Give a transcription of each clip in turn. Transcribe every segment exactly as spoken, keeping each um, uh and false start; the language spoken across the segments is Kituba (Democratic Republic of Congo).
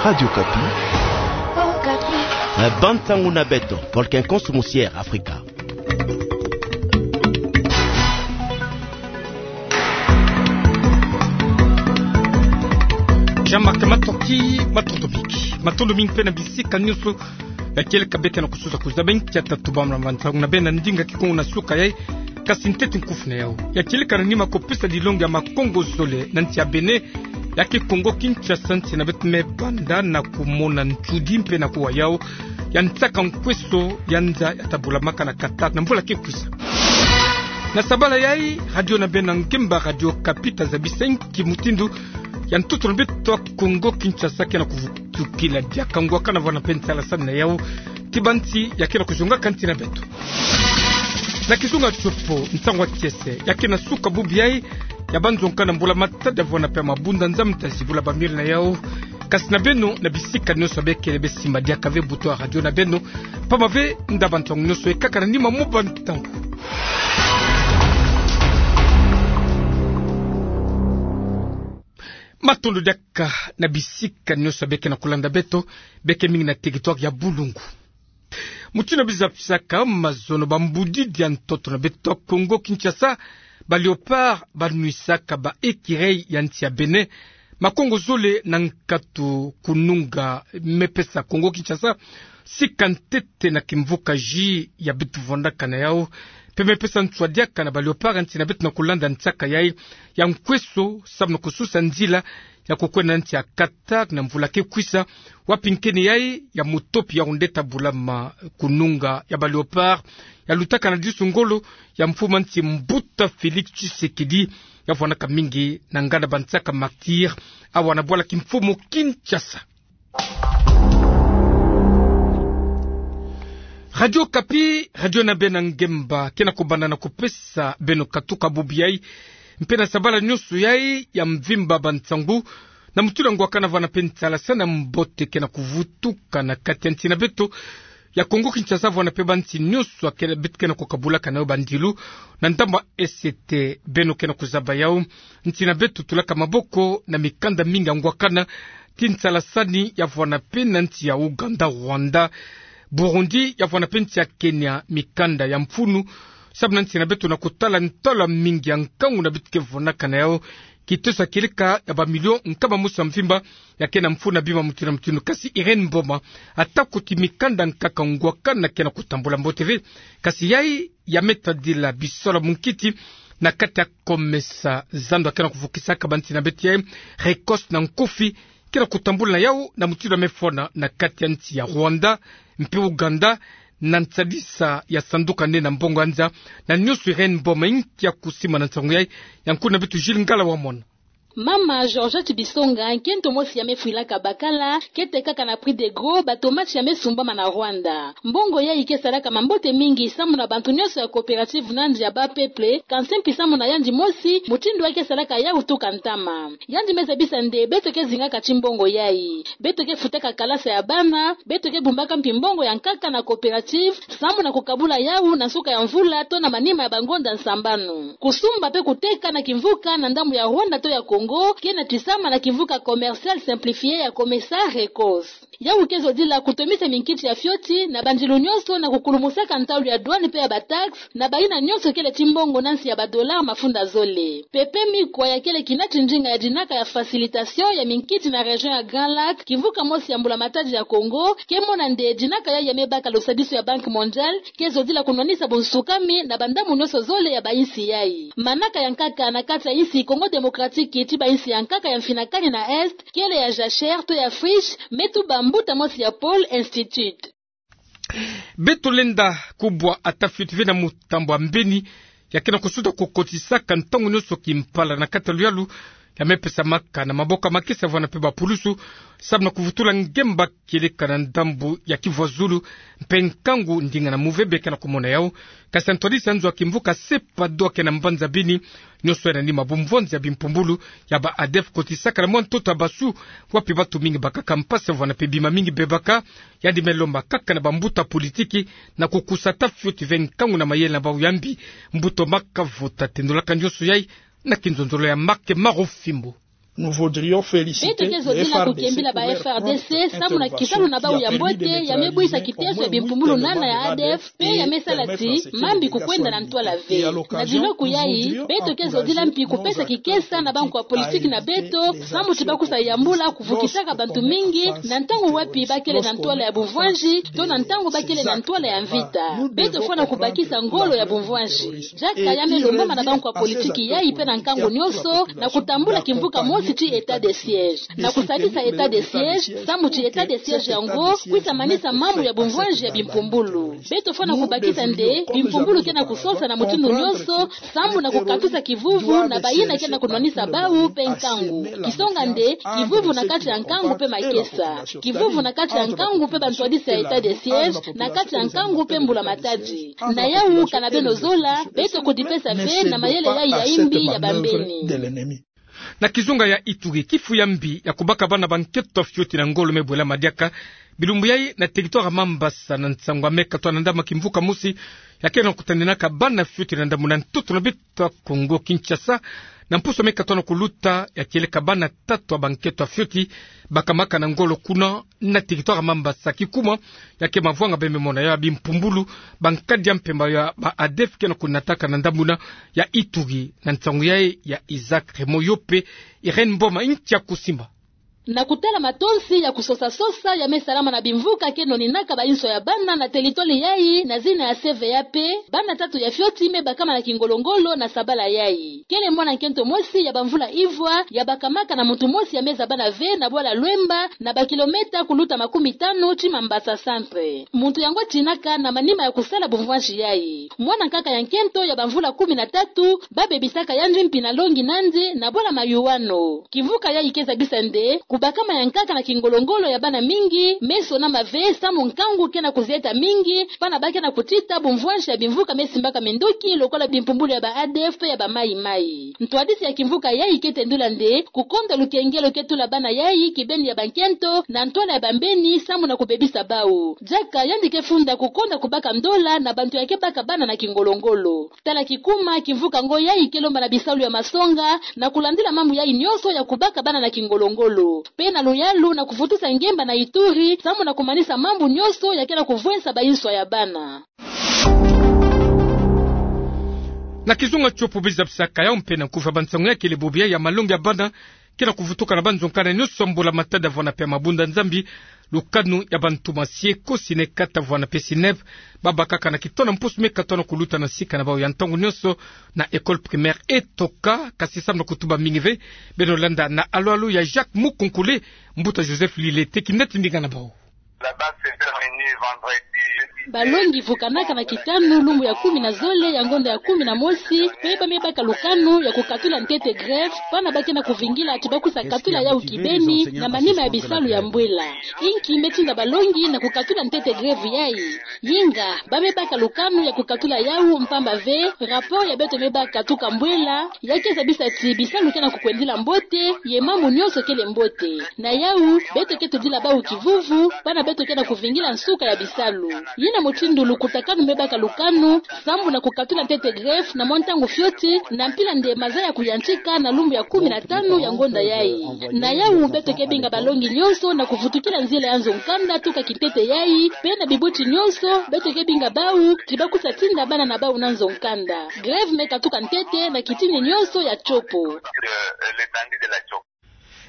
Radio Okapi. Okapi. Eh, bâ ntangu na beto, porque encontro musier Africa. Jean-Marc Matoki, matondo mingi. Matondo mingi mpe na bisika nyonso ya kieleka bê ke na kususa kuzaba nki ya tatu bâ na bâ ntangu na bê na ndinga Kikongo na suka yai, kasi ntete nkufi na yau. Ya kieleka na nima kupesa dilongi ya makongo zole na nsi ya Bénin, ya ke Kongo Kinshasa, nsi na beto me banda na kumona nsudi mpe na kuwa yau ya nsaka nkweso ya nza ya tabulamaka na Qatar na mvula ke kwisa. Na sabala yai, radio na bê na ngemba Radio Okapi ta zabisa nki mutindu ya ntoto na beto Kongo Kinshasa ke na kuvutukila diaka ngwakana vwanda mpe nsalasani na yau ti bansi ya ke na kuzongaka nsi na beto. Na kizunga tio po, ntangu ya kiese ya ke na suka bubu yai ya banzonga na mbula-matadi ya vwanda mpe mabunda Nzambi ta zibula bamiole na yau. Kasi na beno na bisika nyonso bê kele bê simba diaka ve buto ya radio na beno, pamba ve ndaba ntangu nyonso ekaka na nima mo bâ ntangu. Matondo diaka na bisika nyonso bê ke na kulanda beto, bê ke mingi na territoire ya Boulungu. Mutindu bizapisaka mazono, bambudidi ya ntoto na beto Kongo Kinshasa, ba Léopards banwisaka ba écureuils ya nsi ya Bénin makongo zole na nkatu kununga. Me pesa Kongo Kinshasa sika ntete na kimvuka jus ya beto vwandaka na yau, mpe me pesa nswa diaka na ba Léopards ya nsi na beto na kulanda nsaka yai ya nkweso, samu na kususa nzila ya kukwenda na nsi ya Qatar na mvula ke kwisa, wapi nkeni yai ya mutopi ya onde tabulama kununga ya ba Léopards, ya lutaka na disu ngolo ya mfumu a nsi Mbuta Félix Tshisekedi, ya vwandaka mingi na nganda bansaka Martyrs, awa na bwala kimfumu Kinshasa. Radio Okapi, radio na bê na ngemba, ke na kubanda na kupesa beno katuka bubu yai, mpe na sabala nyonso yai ya mvimba bansangu, na mutindu ngwakana vwanda mpe nsalasani ya mbote ke na kuvutuka na kati ya nsi na beto ya Kongo Kinshasa, vwanda mpe bansi nyonso ya ke, beto ke na kukabulaka na yau bandilu, na ndambu ya S T, beno ke na kuzaba yau. Nsi na beto tulaka maboko na mikanda mingi ya ngwakana, ti nsalasani ya vwanda mpe na nsi ya Ouganda, Rwanda, Burundi, ya vwanda mpe nsi ya Kenya, mikanda ya mfunu, samu na nsi na beto na kutala ntalo mingi ya nkangu na beto ke vwandaka na yau, kitosa kieleka ya ba millions nkama mosi ya mvimba, ya ke na mfunu na bima mutindu na mutindu. Kasi Irène Mboma, atako ti mikanda nkaka ngwakana ke na kutambula mbote ve, kasi yai ya me tadila bisalu ya munkiti na kati ya COMESA, zando ya ke na kuvukisaka bansi na beto yai, Rekosi na nkufi, ke na kutambula na yau na mutindu ya me fwana na kati ya nsi ya Rwanda mpe Ouganda, na nsadisa ya sanduka nene ya mbongo ya nza. Na nyonso, Irène Mboma, nki ya kusimba na nsangu yai ya nkulu na beto Jules Ngala Wamona. Mama Georgette Bisonga, nkento mosi ya me fwilaka bakala, ke tekaka na prix de gros batomate ya me sumbama na Rwanda. Mbongo yai ke salaka mambote mingi samu na bantu nyonso ya coopérative na nsi ya ba peuple, kansi mpi samu na yandi mosi, mutindu yai ke salaka yau tuka ntama. Yandi me zabisa nde beto ke zingaka ti mbongo yai. Beto ke futaka kalasa ya bana, beto ke bumbaka mpi mbongo ya nkaka na coopérative, samu na kukabula yau na nsuka ya mvula to na manima ya bangonda nsambanu. Kusumba mpe kuteka na kimvuka na ndambu ya Rwanda to ya Congo, ke natisama na kimvuka commercial simplifié ya COMESA Rekosi. Yau ke zodila kutomisa minkiti ya fioti na bandilu nyonso na kukulumusaka ntalu ya douane mpe ya ba taxes na bayina nyonso kele ti mbongo na nsi ya ba dollars mafunda zole. Pepe Mikwa, ya kele kina ti ndinga ya dinaka ya facilitation ya minkiti na région ya Grand Lac, kimvuka mosi ya mbula-matadi ya Congo, ke mona nde dinaka yai ya me baka lusadisu ya Banque Mondiale ke zodila kunwanisa bunsukami na bandambu nyonso zole ya bayinsi yai. Manaka ya nkaka na kati ya yinsi Congo Démocratique ti bayinsi ya nkaka ya mfinakani na Est, kele ya jachère to ya friche, me tuba mbuta mosi ya Pôle Institut. Beto lenda kubwa ata fioti ve na mutambu ya mbeni, ya ke na kusuta kukotisaka ntangu nyonso kimpala na kati ya luyalu, ya me pesamaka na maboko ya makesa vana mpe bapulusu, samu na kuvutula ngemba kieleka na ndambu ya kivwazulu mpe nkangu ndinga na muvebe ke na kumona yau. Kasi ya ntwadisi ya nzo ya kimvuka Sepa Doa ke na mbanza Beni, nyonso ya na nima bumvwanzi ya bimpumbulu ya ba ADF kotisaka na mwa ntoto ya basu, wapi batu mingi bakaka mpasi vana mpe bima mingi bebaka. Yandi me lomba kaka na bambuta politiki na kukusa ata fioti ve nkangu na mayele na bau ya mbi, mbuta maka vota. Tendolaka nyonso yai na kinzonzolo ya Marc Marofimbo. Beto ke zodila kukembila ba F R D C samu na kisalu na bau ya mbote ya me bwisa kiteso ya bimpumbulu nana ya ADF, pe ya me sala ti mambi kukwenda na ntwala ve. Na diloku yayi, beto ke zodila mpi kupesa kikesa na bankwa politiki na beto, samu ti bakusa yambula kuvukisaka bantu mingi na ntangu wapi bakele na ntwala ya bumvwanzi, to na ntangu bakele na ntwala ya mvita. Beto fwana kubakisa ngolo ya bumvwanzi. Diaka ya me lombama na bankwa politiki yayi pe na nkangu nionso, na kutambula kimvuka mosi ti état de siège. Na kusadisa état de siège, samu ti état de siège yango kwisa manisa mambu ya bumvwanzi ya bimpumbulu. Beto fwana kubakisa nde bimpumbulu ke na kusosa na mutindu nionso, samu na kukatusa kivuvu na bayina ke na kunwanisa bau pe nkangu. Kisonga nde, kivuvu na kati ya nkangu pe makesa. Kivuvu na kati ya nkangu pe bantwadisi ya état de siège, na kati ya nkangu pe mbula matadi. Na yau kana beno zola, beto kudipesa ve na mayele yayi ya imbi ya bambeni. Na kizunga ya Ituri, kifu ya mbi ya kubaka bana bankento fioti na ngolo me bwelama diaka bilumbu yayi na territoire Mambasa, na nsangu ya me katwa na ndambu kimvuka mosi ya ke na kutanenaka bana fioti na ndambu na ntoto na beto ya Kongo Kinshasa. Na mpusu ya me katwa na kuluta ya kieleka bana tatu ya bankento fioti bakamaka na ngolo kuna na territoire Mambasa, kikuma ya ke mavwanga bembe mona ya bimpumbulu, bankadi ya mpemba ya ba ADF ke na kunataka na ndambu na ya Ituri. Na nsangu yayi ya Isaac Remo Yope, Irène Mboma ntia kusimba. Na kutala matonsi ya kusosa-sosa ya me salama na bimvuka ke noninaka bainso ya bana na territoire yayi na zina ya C V A P, bana tatu ya fioti me bakama na kingolo-ngolo na sabala yayi. Kele mwana nkento mosi ya bamvula ivwa ya bakamaka na muntu mosi ya me zabana ve na bwala Lwemba, na bakilometa kuluta makumitano ti Mambasa centre. Muntu yango atinaka na manima ya kusala bumvwanzi yayi. Mwana nkaka ya nkento ya bamvula kumi na tatu, babebisaka yandi mpi na longi nandi na bwala Mayuano. Kimvuka yayi ke zabisa nde kubakama ya nkaka na kingolo-ngolo ya bana mingi me sonama ve, samu nkangu ke na kuzieta mingi, bana ba ke na kutita bumvwanzi ya bimvuka me simbaka minduki lokola bimpumbulu ya ba ADF pe ya ba Maï-Maï. Ntwadisi ya kimvuka yayi ke tendula nde kukonda lukengelo ke tula bana yayi kibeni ya bankento na ntwala ya bambeni samu na kubebisa bau. Diaka yandi ke funda kukonda kubaka ndola na bantu ya ke baka bana na kingolo-ngolo. Tala kikuma kimvuka ngo yayi ke lomba na bisalu ya masonga na kulandila mambu yayi nionso ya kubaka bana na kingolo-ngolo, pe na luyalu na kuvutusa ngemba na Ituri samu na kumanisa mambu nionso ya ke na kuvwesa bainso ya bana. Na kizunga tiopo biza bisaka ya mpe na nkufa bansangu ya kele bobo ya malongi ya bana ke na kuvutuka na banzo nkana nionso mbula matadi vwanda pe mabunda Nzambi, lukanu ya bantu masie ko sine kata vwanda pe sineb, babakaka na kitona mpusu me katwa na kuluta na sika na bau ya ntangu nionso na école primaire Etoka, kasi samu na kutuba mingi ve. Beno landa na alo-alo ya Jacques Mukonkole, mbuta Joseph Lilete, kineti mbinga na bau. Balongi vukanaka na kitanu lumbu ya kumi na zole ya ngonda ya kumi na mosi, pe ba me baka lukanu ya kukatula ntete grève, bana ba ke na kuvingila ti bakusa katula yau kibeni na manima ya bisalu ya mbwela. Inki me tinda balongi na kukatula ntete grève yayi? Yinga, ba me baka lukanu ya kukatula yau mpamba ve rapport ya beto me baka tuka mbwela ya ke zabisa ti bisalu ke na kukwendila mbote, ye mambu nionso kele mbote. Na yau, beto ke tudila bau kivuvu, bana beto ke na kuvingila nsuka ya bisalu. Yina mutindu lukutakanu me baka lukanu samu na kukatula ntete grève na mwa ntangu fioti, na mpila nde maza ya kuyantika na lumbu ya kumi na tanu ya ngonda yayi. Na yau, beto ke binga balongi nionso na kuvutukila nzila ya nzo-nkanda tuka kintete yayi, pe na bibuti nionso beto ke binga bau ti bakusa tinda bana na bau na nzo-nkanda. Grève me katuka ntete na kitini nionso ya tiopo.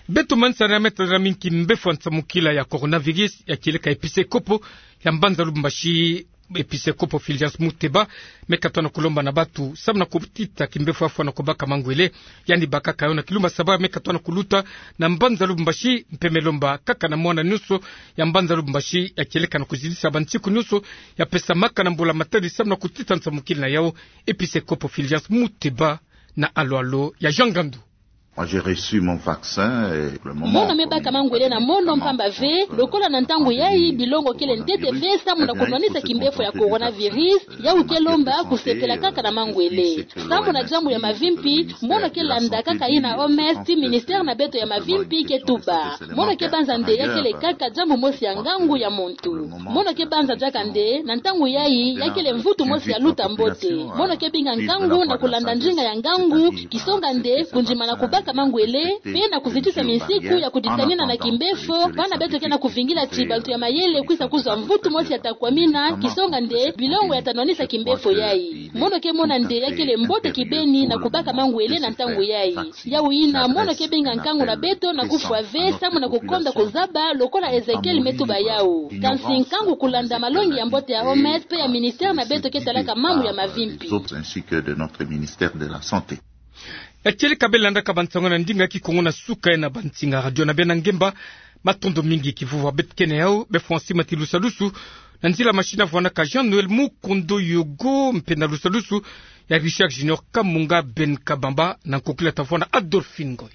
Beto manisani na me tadila mingi kimbefo ya nsamukila ya coronavirus ya kieleka episekopo ya mbanza Lubumbashi, episekopo Fulgence Muteba, me katwa na kulomba na batu samu na kutita kimbefo ya fwana kubaka mangwele. Yandi bakaka yo na kilumbu saba me katwa na kuluta na mbanza Lubumbashi, mpe me lomba kaka na mwana nionso ya mbanza Lubumbashi ya kieleka na kuzidisa bansiku nionso ya pesamaka na mbula matadi samu na kutita nsamukila na yau, episekopo Fulgence Muteba na alo-alo ya Jean Ngandu. Moi, j'ai reçu mon vaccin et pour le moment, mono me baka mangwele na mono mpamba ve, lokola na ntangu yayi bilongo kele ntete ve samu na kunwanisa kimbefo ya coronavirus, yau ke lomba kusepela kaka na mangwele. Samu na diambu ya mavimpi, mono ke landa kaka yina O M S ti ministère na beto ya mavimpi ke tuba. Mono ke banza nde ya kele kaka diambu mosi ya ngangu ya muntu. Mono ke banza diaka nde na ntangu yayi ya kele mvutu mosi ya luta mbote. Mono ke binga nkangu na kulanda ndinga ya ngangu, kisonga nde kundimana kubaka Ka mangwele, pe na kuzitisa minsiku ya kuditanina na kimbefo, bana beto ke na kuvingila ti bantu ya mayele kwisa kuzwa mvutu mosi ya ta kwamina, kisonga nde bilongo ya ta nwanisa kimbefo yayi. Mono ke mona nde ya kele mbote kibeni na kubaka mangwele na ntangu yayi. Yawu yina, mono ke benga nkangu na beto na kufwa ve, samu na kukonda kuzaba, lokola Ezekiel me tuba yawu. Kansi nkangu kulanda malongi ya mbote ya O M S pe ya ministère na beto ke talaka mambu ya mavimpi. Ya tieleka beno landaka bansangu na ndinga ya Kikongo na suka ena bansinga radio na beno na ngemba. Matondo mingi. Kivuvwa beto kena yawu, be François Matilusalusu, na nzila machine avwanaka Jean-Noël Mukondo Yogo, mpe na lusalusu ya Richard Junior Kamunga Ben Kabamba, na nkokila tavwana Adolphine Ngoy.